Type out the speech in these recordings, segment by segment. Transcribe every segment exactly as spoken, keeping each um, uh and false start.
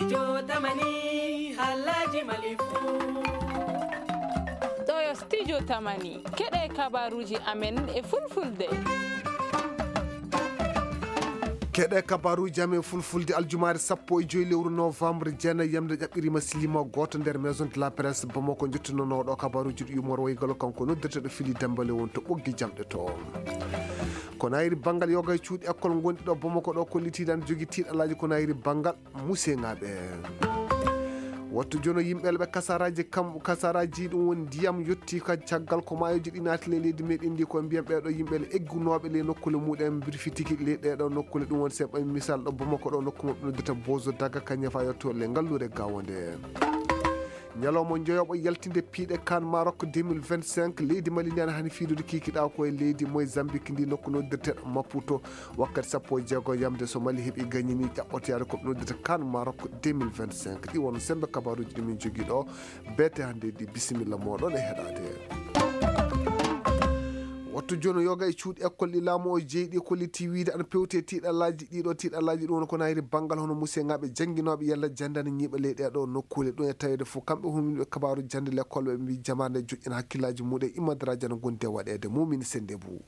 Studio Tamani, halaji malifu. Ɗo yo Studio Tamani. Keɗe kabaruji amen e fulfulde. Keɗe kabaruji amen fulfulde aljumaare sappo e joyi lewru novembre, jeenayi yamde ƴaɓɓirima silima gooto nder Maison de la Presse Bamako. Jottinonooɗo kabaruji ɗi yumor waygalo kanko noddirteɗo Fili Dembale won to ɓoggi jamɗe to. Ko nayri banngal yoga e cuuɗi école gonɗi ɗo Bamako ɗo kollitiiɗo ana jogii tiiɗalaaji ko nayri banngal museŋaaɓe. Wattu jono yimɓe ɓe kasaraaji kam, kasaraaji ɗum woni ndiyam yotti ka caggal ko maayoji ɗi naati ley leydi meɗen ndi, ko mbiyan ɓeeɗo yimɓe le eggunooɓe ley nokkule muɗen mbirfitiki ley ɗeeɗo nokkule. Ɗum woni se ɓay misal ɗo Bamako ɗo nokku maɓɓe noddata Bozo Daga ka ñafa yotto le ngalluure gawo nde. Ñalawma njoyoɓo yaltinde piiɗe kan Maroc deux mille vingt-cinq, leydi Mali ndi ana hani fiidude kikiɗa ko e leydi Mozambique ndi nokku noddirte Maputo. Wakkati sappo e jeego yamde so Mali heɓi gañini ƴaɓɓotoyaade ko ɓe noddata kan Maroc deux mille vingt-cinq. Ɗi won sembe kabaruji ɗi min jogii ɗo. Beete hannde ɗi bisimilla moɗon e heɗaade. Wattu jono yoga e cuuɗi école ɗi laamu o jeyi ɗi kolliti wiide ana pewte tiiɗalaaji ɗiɗo tiiɗalaaji ɗum woni ko nayri banngal hono museŋaaɓe jannginooɓe yalla jannde ana ñiiɓa ley ɗeeɗo nokkule. Ɗum e taweede fof kamɓe huminɓe kabaaru jannde l'école ɓe mbi jamaande joƴƴina hakkillaaji muɗum e immadraaji ana gondi e waɗeede mumini sennde bu.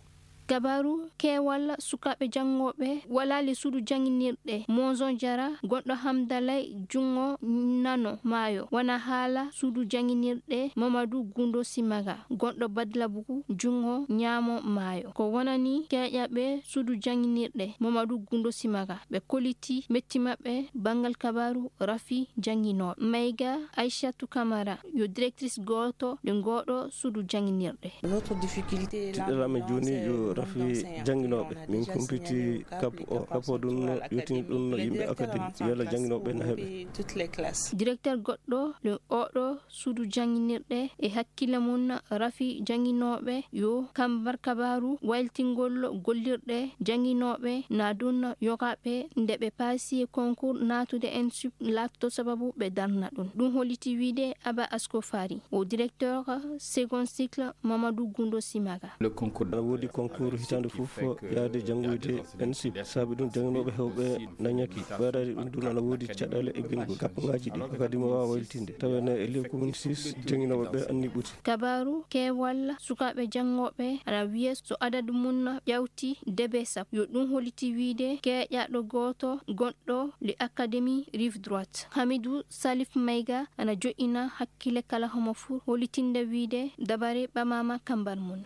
Kabaaru keewal sukaaɓe janngooɓe walaali suudu jannginirɗe Monzon Jara, gonɗo Hamdalay junngo nano maayo, wona haala suudu jannginirɗe Mamadou Gundo Simaga, gonɗo Badlabugu junngo ñaamo maayo. Ko wonani keeƴaɓe suudu jannginirɗe Mamadou Gundo Simaga, ɓe koliti metti maɓɓe banngal kabaaru rafi jannginooɓe. Mayga Aïchatou Camara yo directrice gooto ɗo ngooɗo suudu jannginirɗe. Tiɗɗal amen jooni yo rafi jannginooɓe. Min kumpiti kap o, kap o ɗum no yotini ɗum no yimɓe akademi, yalla jannginooɓe na heɓe. Directeur goɗɗo ɗo oɗo suudu jannginirɗe e hakkille mum rafi jannginooɓe yo kambar kabaaru waylitingol gollirɗe jannginooɓe na ɗum yogaɓe nde ɓe paasi e concours naatude ensup laatto sababu ɓe darna ɗum. Ɗum holliti wiide Aba Asko Fari, o directeur second cycle Mamadou Gundo Simaga. Ana woodi concours hitaande fof yaade janngoyde ensup, saabi ɗum jannginooɓe heewɓe na ñaki. Ɓeydaade ɗum ɗum ana woodi caɗeele e binngol kappangaaji ɗi akademi waawa waylitinde. Taweede e lewru commune six jannginooɓe ɓe anni ɓuti. Kabaaru keewal sukaaɓe janngooɓe ana wiya so adadu mum ƴawti debe sappo, yo ɗum holliti wiide keeƴaaɗo gooto gonɗo le académie Rive Droite. Hamidou Salif Maïga ana joƴƴina hakkille kala homo fuu hollitinde wiide dabare ɓamaama kambar mum.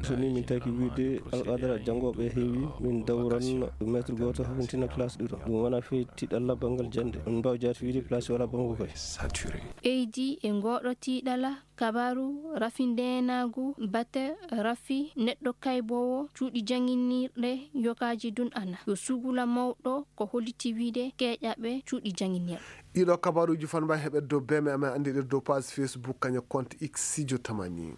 So ni min taki wiide alqadara janngooɓe heewi, min dawran maître gooto hawtintina classe ɗiɗo. Ɗum wona fii tiiɗalla banngal jannde. On mbaaw jaati wiide place wala banngo koy. Eydi e ngooɗo tiiɗalla kabaaru rafi ndeenaagu bate rafi neɗɗo kayboowo cuuɗi jannginirɗe yokaaji ɗum ana yo sugula mawɗo ko holliti wiide keeƴaɓe cuuɗi jannginirɗe. Ɗiɗo kabaruuji fan mbawi heɓe dow beme amen anndiɗe dow page Facebook kaña compte X Sijo Tamani.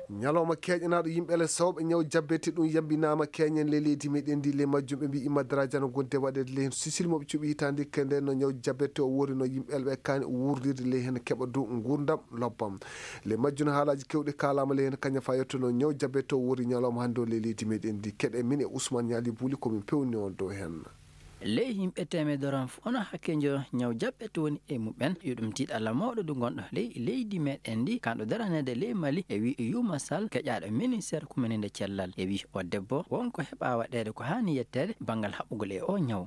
Ñalawma keeƴanaaɗo yimɓe ele sawɓe ñaw jabbete ɗum yambinaama keeñen le leydi meɗen ndi le majjum ɓe mbi immadraji ana gonde waɗeede le hen sisil moɓe cuɓi hitaande kende no ñaw jabbete o wori no yimɓe ele ɓe kaani wurdirde le hen keɓa dow ngurdam lobbam. Le majjum haalaaji kewɗi kaalaama le hen kaña fa yettono ñaw jabbete o wori ñalawma hannde o le leydi meɗen ndi keɗe min e Ousmane Ñaali Buuli komin pewni on dow hen. Ley yimɓe teemedere on fof, ono hakkeejo ñaw jaɓɓete woni e muɓɓen, yo ɗum tiiɗalla mawɗo ndu ngonɗo ley leydi meɗen ndi, kanɗo daraneede ley Mali, e wi Yuma Sall, keƴaaɗo ministeer kumininde cellal. E wi o debbo, wonko heɓa waɗeede ko haani yetteede banngal haɓɓugol e o ñaw.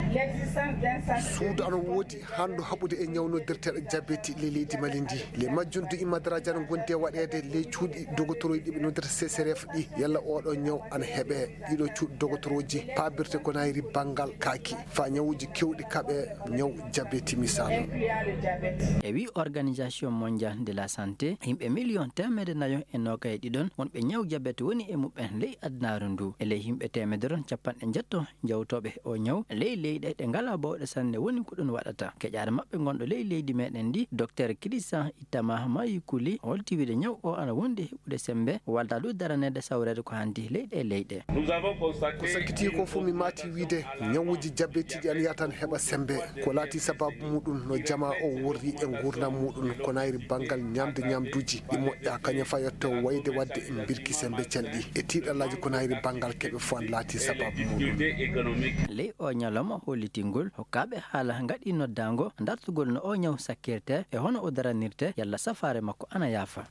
Suudu ana woodi handu haɓude e ñaw noddirteeɗo jabeti ley leydi Mali ndi. Ley majjum du immadraji ana gondi e waɗeede ley cuuɗi dogotoroji ɗi ɓe noddirta C C R F ɗi, yalla oɗo ñaw ana heɓe. Ɗiɗo cuuɗi dogotoroji paabirte ko nayri banngal kaaki, fa ñawuji kewɗi kaɓe ñaw jabeti misal. E wi Organisation Mondiale de la Santé, yimɓe miliyon teemedde nayo e noogay e ɗiɗon wonɓe ñaw jabet woni e muɓɓen ley adunaaru ndu. E ley yimɓe teemedere on, capanɗe njetto jawtooɓe o ñaw ley leyɗe ɗe ngalaa bawɗe sanne woni ko ɗum waɗata. Keƴaare maɓɓe ngonɗo ley leydi meɗen ndi, Docteur Christian Ittama Mayukuli, holti wiide ñaw o ana wondi e heɓude sembe, walda du daraneede sawreede ko hanndi ley ɗe leyɗe. Ko sakkiti ko fof mi maati wiide ñawuji jabet Tiiɗi an yatan heɓa sembe. Ko laati sababu muɗum no jama o worri e nguurndam muɗum, ko nayri banngal ñamde ñamduuji ɗi moƴƴa, kañum fa yetto wayde waɗde mbirki sembe calɗi e tiiɗallaaji, ko nayri banngal keɓe fof an laati sababu muɗum. Ley o ñalawma hollitingol, hokkaaɓe haala ngaɗi noddaango dartugol no o ñaw sakkirte e hono o daranirte, yalla safaare makko ana yaafa.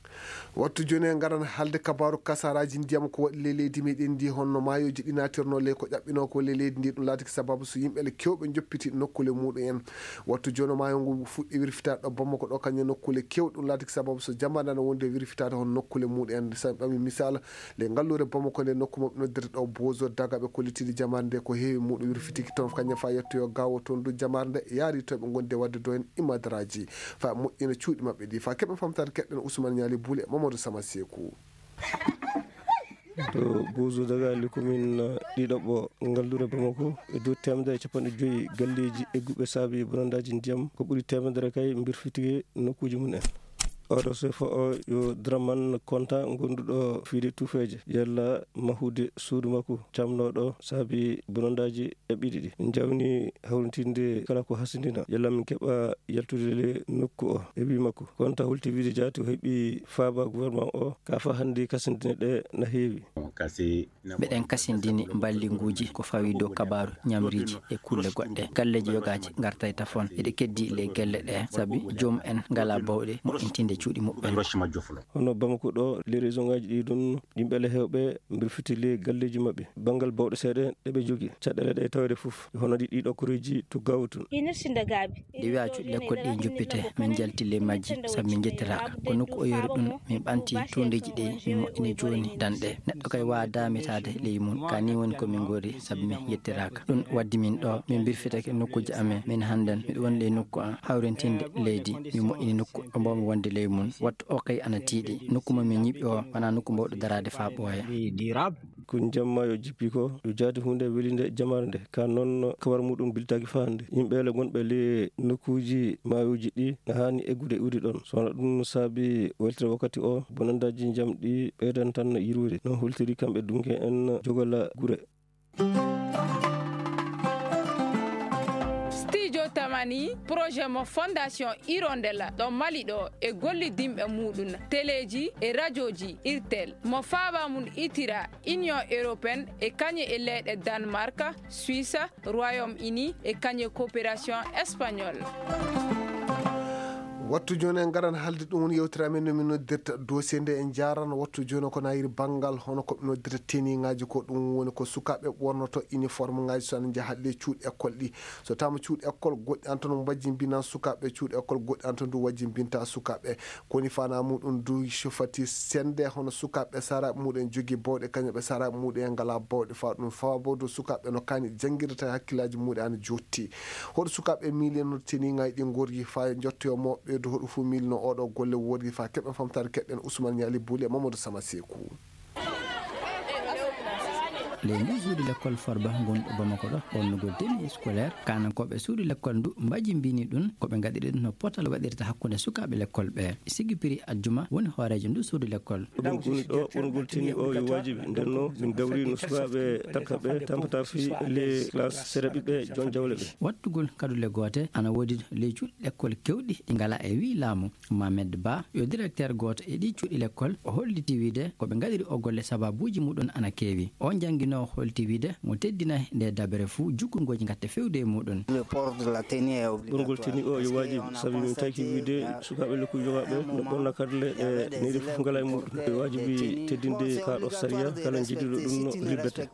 Wattu jooni en ngaran haalde kabaaru kasaaraaji ndiyam ko waɗi ley leydi meɗen ndi, honno maayooji ɗi naatirnoo ley ko ƴaɓɓinoo ko ley leydi ndi, ɗum laatiki sababu so yimɓe le keewɓe njoppiti nokkuule muɗum en. Wattu jooni maayo ngu fuɗɗi wirfitaade ɗo Bamako ɗo, kañum nokkuule keewɗe, ɗum laatiki sababu so jamaane ana wonde wirfitaade hon nokkuule muɗum en. So en ɓami misal, le ngalluure Bamako nde nokku maɓɓe noddirte ɗo Bozo Daga, ɓe kollitini jamaare nde ko heewi muɗum wirfitiki toon, kañum fa yettoyo gaawo toon du jamaare nde yaari to ɓe ngondi e waɗde do en imadaraaji fa moƴƴina cuuɗi maɓɓe ɗi. Fa keɓen famtaade keɗɗen Ousmane Ñaali Buule e Mamadou Sama Seeku. To Bozo Daga, le commune ɗiɗaɓo ngalluure Bamako, e dow teemedere e capanɗe joyi galleeji egguɓe saabi bonandaaji ndiyam, ko ɓuri teemedere kay mbirfitike nokkuuji mum en. Oɗo sefa o yo Draman Konta, gonduɗo fiide Tufeeje, yalla mahude suudu makko camnooɗo saabi bonandaaji ƴaɓɓiiɗi ɗi. Min njawni hawritinde kala ko hasindina, yalla min keɓa yaltude le nokku o. E wii makko, Konta holti wiide jaati o heɓi faaba gouvernement o, ka fa hannde kasindine ɗe na heewi. Mbeɗen kasindini mballinguuji ko fawi dow kabaaru ñamriiji e kulle goɗɗe. Galleeji yogaaji ngartay tafon, eɗe keddi ley gelle ɗe, sabi joomum en ngalaa bawɗe moƴƴintinde cuuɗi muɓɓen. Hono Bamako ɗo, les région ngaji ɗi ɗum, yimɓe le heewɓe mbirfiti le galleeji maɓɓe. Banngal bawɗe seeɗa ɗe ɓe jogii, caɗeele ɗe tawde fof, hono ɗi ɗiɗo koreeji to gawtun. Ɗi wiya cuuɗi lekkol ɗi njuppite, min njalti ley majji, sabu min njettiraaka. Ko nokku o yori ɗum, min ɓanti tuundeeji ɗi, min moƴƴini jooni danɗe. Neɗɗo kay waawa daamitaade ley mum, ka ni woni ko min ngori, sabu min njettiraaka. Ɗum waddi min ɗo, min mbirfitake nokkuuji amen. Min hannden, miɗo woni ley nokku am, hawrintinde leydi, min moƴƴini nokku ɗo mbaawmi wonde ley mum. Wattu o kay ana tiiɗi. Nokku mo min ñiɓi o, wonaa nokku mbaawɗo daraade faa ɓooya. Ko njamma yo jippi ko, yo jaati huunde welinde jamaare nde. Ka noon, kabar muɗum biltaaki faa hannde. Yimɓe le gonɓe le nokkuuji maayooji ɗi na haani eggude iwde ɗoon. So wonaa ɗum saabi weltere wakkati o, bonandaaji njam ɗi ɓeydan tan yirwude. No holtiri kamɓe dunke en jogola gure. Studio Tamani, projet mo Fondation Hirondelle ɗo Mali ɗo e gollidinɓe muɗum, teleeji e rajooji Irtel, mo faaba mum itira Union Européenne e kañe e leyɗe Danemark, Suisse, Royaume-Uni e kañe coopération espagnole. Wattu jooni en ngaran haalde ɗum woni yewtere amen no min noddirta dossier nde en njaaran. Wattu jooni ko nayiri banngal hono ko ɓe noddirta teniŋaaji ko, ɗum woni ko sukaaɓe ɓornoto uniforme ŋaaji so ana njaha le cuuɗi école ɗi. So taama cuuɗi école goɗɗi an tan mbajjimbina sukaaɓe, cuuɗi école goɗɗi an tan du wajjimbinta sukaaɓe. Koni fana muɗum du so fati sende hono sukaaɓe saraaɓe muɗum en jogii bawɗe, kañum ɓe saraaɓe muɗum en ngalaa bawɗe fa ɗum fa bo du sukaaɓe no kaani janngirde tawi hakkillaaji muɗum ana jotti. Hoɗo sukaaɓe miilino teniŋaaji ɗi ngorgi fa jottoyo mo ɓeydu hoɗo fuu miilino oɗo golle worgi fa keɓen famtaade keɗɗen Ousmane Ñaali Buuli e Mamadou Sama Seeku. Ley ndu suudu lekkol Farba ngonɗo Bamako ɗo, ɓornugol tenue scolaire, kaanankooɓe suudu lekkol ndu mbajimbini ɗum, ko ɓe ngaɗiri ɗum no potal waɗirta hakkunde sukaaɓe lekkol ɓe. Sigi Piri Ajjuma woni hooreejo ndu suudu lekkol. Ɗum woni ɗo ɓornugol tenue o yo waajibi. Nden no min dawri no sukaaɓe takka ɓe tampata fii les classes seeɗa ɓiɓɓe jon jawle ɓe. Wattugol kadule goote ana woodi ley cuuɗi lekkol kewɗi ɗi ngalaa e wii laamu. Mohamed Ba, yo directeur gooto e ɗii cuuɗi lekkol, o holliti wiide ko ɓe ngaɗiri o golle sababuuji muɗum ana keewi. O jannginoowo holti wiide mo teddinay nde dabere fuu jukkungooji ngatte fewde e muɗum. Ɓorngol tenue o yo waajibi, sabi min tawki wiide sukaaɓe lekkuuji yogaaɓe no ɓorna kadule ɗe neyɗe fof ngalaa e muɗum. Ɓe waajibi teddinde kaa ɗo sariya, kala njiɗiiɗo ɗum no libbete.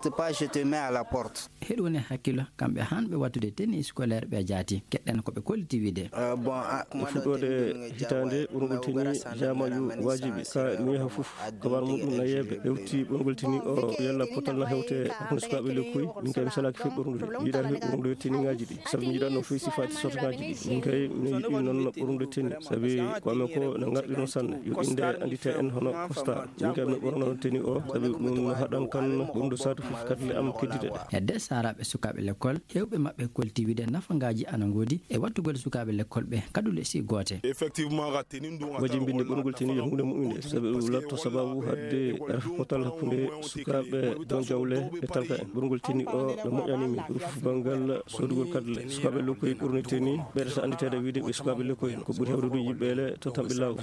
Heɗu woni hakkilo, kamɓe hanɓe wattude tenue scolaire ɓe jaati. Keɗɗen ko ɓe kolliti wiide. E fuɗɗoode hitaande, ɓorngol tenue jaama yo waajibi ka mi yaha fof. Kabar muɗum na yeeɓe hewti ɓorngol tenue o yalla potal na hewte hakkunde sukaaɓe lekkuuji. Min kay mi salaaki fii ɓorngude. Mi yiɗaaki fii ɓorngude tenue ŋaaji ɗi. Sabi mi yiɗaano fii sifaati sorte ŋaaji ɗi. Min kay mi yiɗi noon ɓorngude tenue. Sabi ko amen ko na ngarɗi noon sanne. Yo innde anndite en hono constat. Min kay mi ɓorno tenue o. Sabi ɗum no haɗan kan ɓorngude saatu fof kadule am keddiɗe ɗe. Hedde Araaɓe sukaaɓe lekkol, heewɓe maɓɓe kolti wide nafangaaji ana ngoodi e wattugol sukaaɓe lekkol ɓe kadule si goote. Effectivement, ga tenin ɗum, wajimbinde ɓurngol teni yo huunde mu'unde, sabi ɗum latto sababu haɗde rafi potal hakkunde sukaaɓe don jawle e talka en. Ɓurngol teni o no moƴƴani min, ɓuri fof banngal soodugol kadule. Sukaaɓe lokkoyi ɓurni teni, ɓeɗata annditeede wide ɓe sukaaɓe lokkoyi, ko ɓuri hewde ɗum yimɓe ele to tamɓe laawol.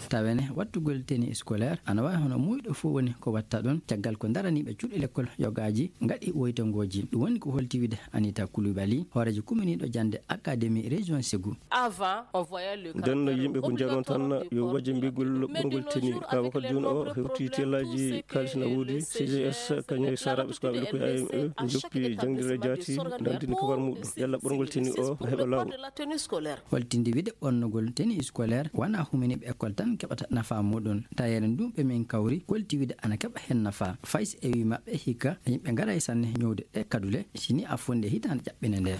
Tawene wattugol teni scolaire ana wawi hono muuyɗo fof woni ko watta ɗon, caggal ko daraniiɓe cuuɗi lekkol yogaaji ngaɗi woytongooji. Ɗum woni ko holti wide Anita Coulibaly, hooreejo kuminiiɗo jannde Académie Région Ségou. Avant, on voyait le Nden no yimɓe ko njanon tan yo wajimbigol ɓurngol teni. Ka wakati jooni o hewti tellaaji kaalis na woodi, C G S, kañum e saraɓe sukaaɓe lokkoy A M E, njoppi jangdire jaati, nandini kabar muɗum. Yalla ɓurngol teni o no heɓa laawol. Holtinde wide ɓornugol teni scolaire wona huminiiɓe école tan keɓata nafa muɗum. Tayeere ndun ɓe min kawri kolti wide ana keɓa hen nafa. Fay si e wi maɓɓe hikka yimɓe ngaray sanne ñowde ɗe kadule, sini a fonde hitaande ƴaɓɓine nde.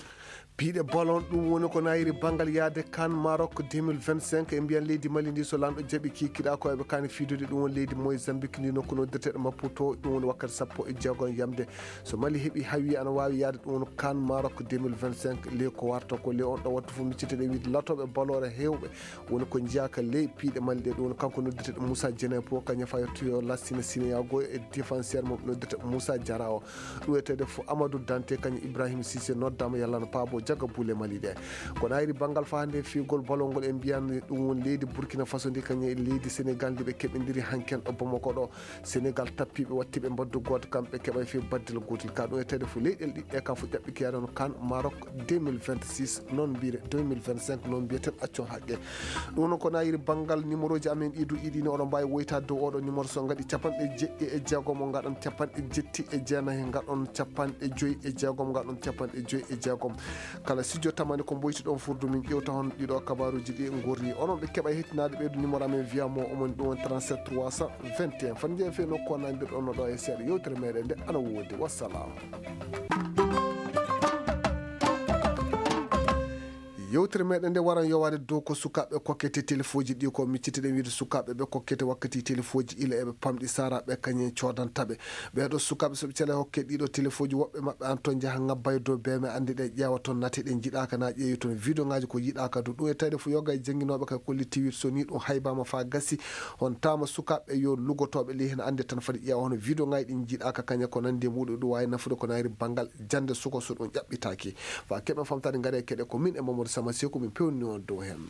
Piiɗe ballon, ɗum woni ko nayiri banngal yahde kan Maroc deux mille vingt-cinq. E mbiyan leydi Mali ndi, so lanɗo jaɓi kikiɗa ko eɓe kani fiidude, ɗum woni leydi Mozambique ndi, nokku noddirteɗo Maputo, ɗum woni wakkati sappo e jeego yamde. So Mali heɓi hawi ana wawi yahde, ɗum woni kan Maroc deux mille vingt-cinq. Ley ko warta ko ley on ɗo wattu fof, micciteɗe wiide latoɓe ballon hewɓe woni ko jeyaka ley piiɗe Mali ɗe, ɗum woni kanko noddirteɗo Moussa Djenepo, kañum fayotoyo lassina sineyago e défenseur mo noddirteɗo Moussa Diarra o. Ɗum wiyetede fof Amadou Dante, kañum Ibrahim Cissé noddama yalla no paabo jaga buule Mali ɗe. Kono ayri banngal fahande fiyugol ballon ngol, en mbiyan ɗum woni leydi Burkina Faso ndi, kañum e leydi Sénégal ndi ɓe keɓindiri hanken ɗo Bamako ɗo. Sénégal tappiɓe, wattiɓe mbaddu gooto, kamɓe keɓa e fii baddel gootel. Ka ɗum e tawde fof leyɗel ɗiɗɗe ka fof ƴaɓɓi kiyaade no kan Maroc deux mille vingt-six, non mbiyre deux mille vingt-cinq, non mbiyeten accon haqqe. Ɗum noon ko nayiri banngal numéroji amen ɗi du iɗini, oɗon mbawi woytade dow oɗo numéro so ngaɗi capanɗe jeɗɗi e jeegom o ngaɗon capanɗe jetti e jeenayi ngaɗon capanɗe joyi e jeegom ngaɗon capanɗe joyi e jeegom. Kala studio tamani ko mboyti ɗon furdu min ƴewta hon ɗiɗo kabaruji ɗi gorri. Onon ɓe keɓa hettinaade ɓeydu numéro amen via mo omoni ɗum woni trente-sept trois cent vingt et un. Fan jeeya fe nokku o nandirɗon no ɗo e seeɗa yewtere meɗen nde ana woodi. Wassalam. Yewtere meɗen nde waran yowaade dow ko sukaaɓe kokkete telefoji ɗi ko miccitiɗen wiide sukaaɓe ɓe kokkete wakkati telefoji ila eɓe pamɗi saraɓe kañen codantaɓe. Ɓeeɗo sukaaɓe so ɓe cela hokke ɗiɗo telefoji woɓɓe maɓɓe an ton njaha ngabba e dow beme ande ɗe ƴeewa ton nate ɗe jiɗaka na ƴeewi ton vidéo ngaji ko yiɗaka du. Ɗum e tawde fof yoga e janginoɓe kay kolli tiwit so ni ɗum haybama fa gasi. On tama sukaaɓe yo lugotoɓe ley hen ande tan fadi ƴeewa hono vidéo ngaji ɗin jiɗaka kaña ko nandi e muɗum ɗum wawi nafude ko nayri banngal jande suko so ɗum ƴaɓɓitaki. Fa keɓen famtade ngare keɗe ko min e Mamadou Sama Seku min pewni on dow hen.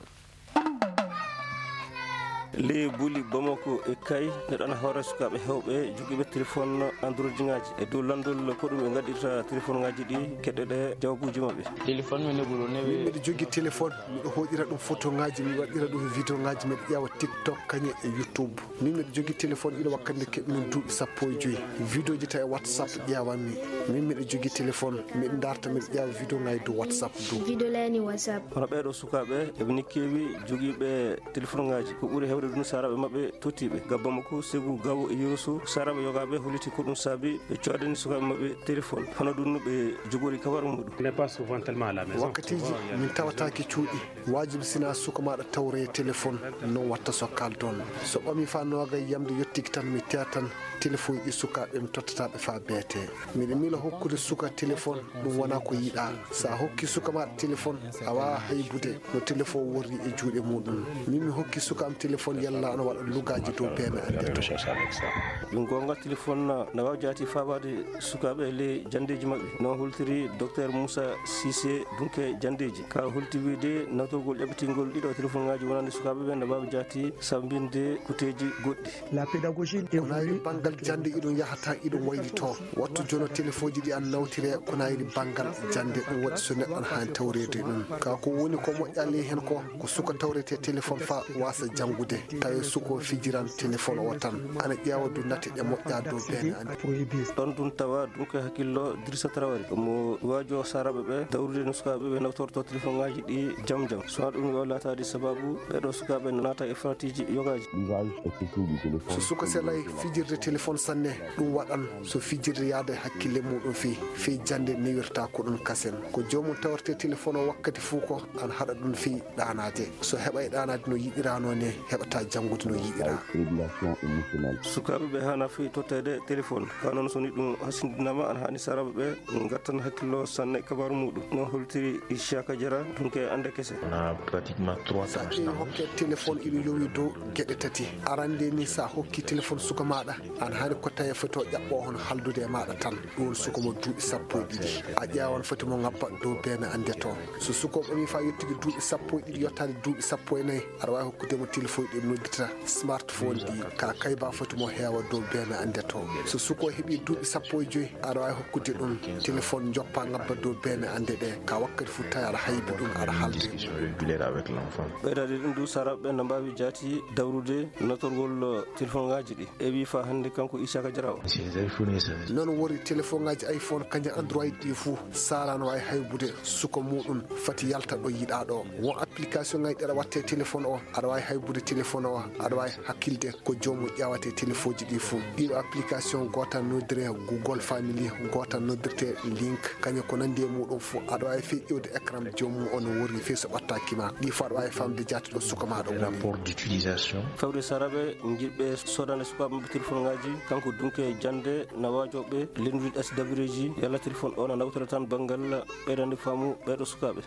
Ley buli Bamako e Kay, neɗɗo ana hoore sukaaɓe hewɓe jogiiɓe téléphone Android ŋaaji. E dow lanndol ko ɗum ɓe ngaɗirta téléphone ŋaaji ɗi, keɗɗe ɗe jawabuuji maɓɓe. Téléphone mi ne ɓuro newe. Min miɗo jogii téléphone, miɗo hoƴira ɗum photo ŋaaji, mi waɗira ɗum vidéo ŋaaji, miɗo ƴeewa TikTok kañe e YouTube. Min miɗo jogii téléphone ina wakkati nde keɓmi duuɓi sappo e joyi. Vidéo ji tawi WhatsApp ƴeewanmi. Min miɗo jogii téléphone, miɗo darta miɗo ƴeewa vidéo ŋaaji dow WhatsApp dow. Vidéo lani WhatsApp. Hono ɓeeɗo sukaaɓe eɓe ni keewi jogiiɓe téléphone ŋaaji. Ko ɓuri heewde ɗum saraɓe maɓɓe tottiiɓe. Ga Bamako, Segu, Gawo e Yerusu, saraɓe yogaaɓe holliti ko ɗum saabi ɓe coodani sukaaɓe maɓɓe téléphone. Hono ɗum no ɓe jogori kabaru muɗum. On n'est pas souvent tellement à la maison. Wakkatiji min tawataake cuuɗi. Wajibi sina suka maɗa tawre téléphone non watta so kaldon. So ɓami fa noga yamde yottiki tan mi teya tan téléphone ɗi sukaɓe mi tottataɓe fa beete. Miɗa mila hokkude suka téléphone ɗum wona ko yiɗa. Sa hokki suka maɗa téléphone a wawa haybude no téléphone worri e juuɗe muɗum. Min mi hokki suka am téléphone yalla ana waɗa lugaji dow beme ande to. Ɗum gonga téléphone na wawa jaati fabaade sukaaɓe e ley janndeeji maɓɓe. No holtiri Docteur Moussa Cissé Dunke janndeeji. Ka holti wiide nawtorgol ƴaɓɓitingol ɗiɗo téléphone ŋaaji wonande sukaaɓe ɓe no mbaawi jaati sambinde kuteeji goɗɗi. La pédagogie évolue. Ko nayri banngal jannde iɗum yahata iɗum waylito. Wattu jono téléfoji ɗi an nawtire ko nayri banngal jannde ɗum waɗi so neɗɗo an haani tawreede ɗum. Ka ko woni ko moƴƴa ley hen ko, ko suka tawrete téléphone fa wasa janngude. Tawi suko fijiran téléphone o tan. Ana ƴeewa du nate ɗe moƴƴa dow bene ande. Ɗon ɗum tawa ɗum ko hakkillo Dirisa Traoré. Mo waajo saraɓe ɓe dawrude no sukaaɓe ɓe nawtorto téléphone ŋaaji ɗi jam jam. So ɗum yo laataade sababu ɓeɗo sukaaɓe naata e faratiiji yogaaji. So suka selay fijirde téléphone sanne, ɗum waɗan so fijirde yaada e hakkille muɗum fii, fii jannde newirta ko ɗum kasen. Ko joomum tawrete téléphone o wakkati fuu ko an haɗa ɗum fii ɗaanaade. So heɓa e ɗaanaade no yiɗirano ne, heɓa taa janngude no yiɗiraa. Sukaaɓe ɓe haana fii totteede téléphone, kaa noon so ni ɗum hasindinaama, ana haani saaraaɓe ɓe ngattan hakkillo sanne kabaaru muuɗum. No holtiri Ishaka Jara, dunke annde kese. On a pratiquement trois Sa tranches ƴeewi d'âge. Hokke téléphone ina yowi dow geɗe tati. Arande ni, sa hokki téléphone suka maɗa, an hani ko tawi foti o ƴaɓɓo hono haldude e maɗa tan. Ɗum woni suka mo duuɓi sappo e ɗiɗi. A ƴeewan foti mo ngabba dow beene ande to. So suka o ɓami fa yettude duuɓi sappo e ɗiɗi yottaade duuɓi sappo e nayi, aɗa wawi hokkude mo téléphone ɗi noddita smartphone ɗi, ka kayba foti mo heewa dow beene ande to. So suka o heɓi duuɓi sappo e joyi, aɗa wawi hokkude ɗum téléphone joppa ngabba dow beene ande ɗe, ka wakkati fu tawi aɗa haybi ɗum aɗa halde. Discussion régulière avec l'enfant. Ɓeydaade ɗum du, saaraaɓe ɓe no mbaawi jaati dawrude natorgol téléphone ngaji ɗi. E wi fa hannde kanko Isaka Jaraw. Ces iPhones, ça Noon wori téléphone ngaji iPhone kañum Android ɗi fuu, sara no wawi haybude suka muɗum fati yalta ɗo yiɗa ɗo. Won application ngaji ɗi aɗa watta e téléphone o, aɗa wawi haybude téléphone o, aɗa wawi hakkilde ko joomum ƴeewata e téléphone ji ɗi fuu. Ɗiɗo application, goota noddire Google Family, goota noddirte Link, kañum ko nandi e muɗum fuu. Aɗa wawi fii ƴewde écran joomum o no worri fii so ɓattakima. Ɗi fuu aɗa wawi famde jaati ɗo suka maɗa woni. Rapport d'utilisation. Fawde saaraaɓe jiɗɓe sodande sukaaɓe maɓɓe téléphone ngaji, kanko dunke jannde na waajoɓe lenndude S W ji, yalla téléphone o na nawtora tan banngal ɓeydande faamu ɓeeɗo sukaaɓe.